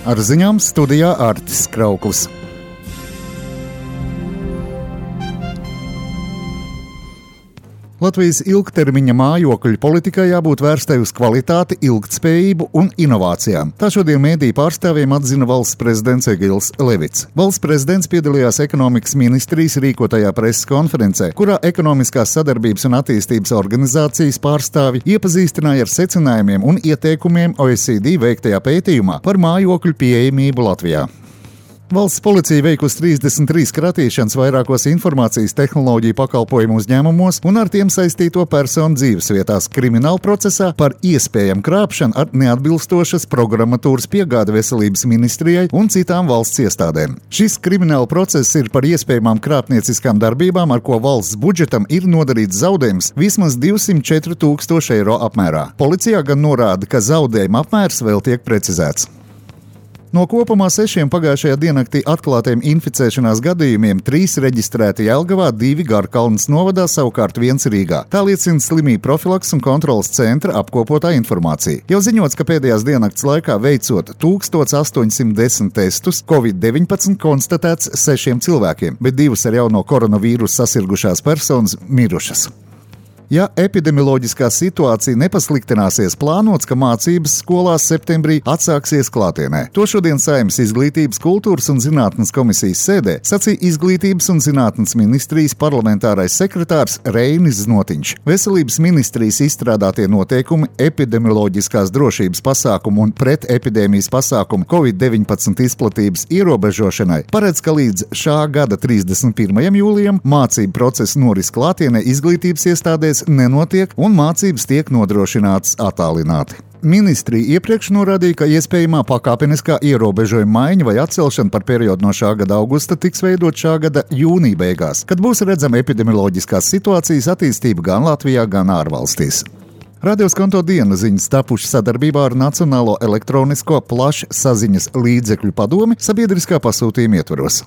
Ar ziņām studijā Artis Krauklis. Latvijas ilgtermiņa mājokļu politikai jābūt vērstai uz kvalitāti, ilgtspējību un inovācijām. Tā šodien mediju pārstāvjiem atzina valsts prezidents Egils Levits. Valsts prezidents piedalījās ekonomikas ministrijas rīkotajā preses konferencē, kurā ekonomiskās sadarbības un attīstības organizācijas pārstāvji iepazīstināja ar secinājumiem un ieteikumiem OECD veiktajā pētījumā par mājokļu pieejamību Latvijā. Valsts policija veikusi 33 kratīšanas vairākos informācijas tehnoloģiju pakalpojumu uzņēmumos un ar tiem saistīto personu dzīvesvietās krimināla procesā par iespējamu krāpšanu ar neatbilstošas programmatūras piegādi veselības ministrijai un citām valsts iestādēm. Šis krimināla process ir par iespējamām krāpnieciskām darbībām, ar ko valsts budžetam ir nodarīts zaudējums vismaz 204 000 eiro apmērā. Policijā gan norāda, ka zaudējuma apmērs vēl tiek precizēts. No kopumā 6 pagājušajā diennaktī atklātiem inficēšanās gadījumiem 3 reģistrēti Jelgavā, 2 Garkalnes novadā, savukārt 1 Rīgā. Tā liecina slimību profilakses un kontroles centra apkopotā informācija. Jau ziņots, ka pēdējās diennakts laikā veicot 1810 testus, Covid-19 konstatēts 6 cilvēkiem, bet 2 ar jauno koronavīrusu sasirgušās personas mirušas. Ja epidemioloģiskā situācija nepasliktināsies, plānots, ka mācības skolās septembrī atsāksies klātienē. To šodien Saeimas Izglītības, kultūras un zinātnes komisijas sēdē sacīja Izglītības un zinātnes ministrijas parlamentārais sekretārs Reinis Znotiņš. Veselības ministrijas izstrādātie noteikumi epidemioloģiskās drošības pasākumu un pretepidēmijas pasākumu Covid-19 izplatības ierobežošanai paredz, ka līdz šā gada 31. jūlijam mācību procesu noris klātienē izglītības iestādēs nenotiek un mācības tiek nodrošinātas attālināti. Ministrija iepriekš norādīja, ka iespējamā pakāpeniskā ierobežojuma maiņa vai atcelšana par periodu no šā gada augusta tiks veidot šā gada jūnija beigās, kad būs redzama epidemioloģiskās situācijas attīstība gan Latvijā, gan ārvalstīs. Radioskonto diena ziņas tapušas sadarbībā ar Nacionālo elektronisko plašsaziņas līdzekļu padomi sabiedriskā pasūtījuma ietvaros.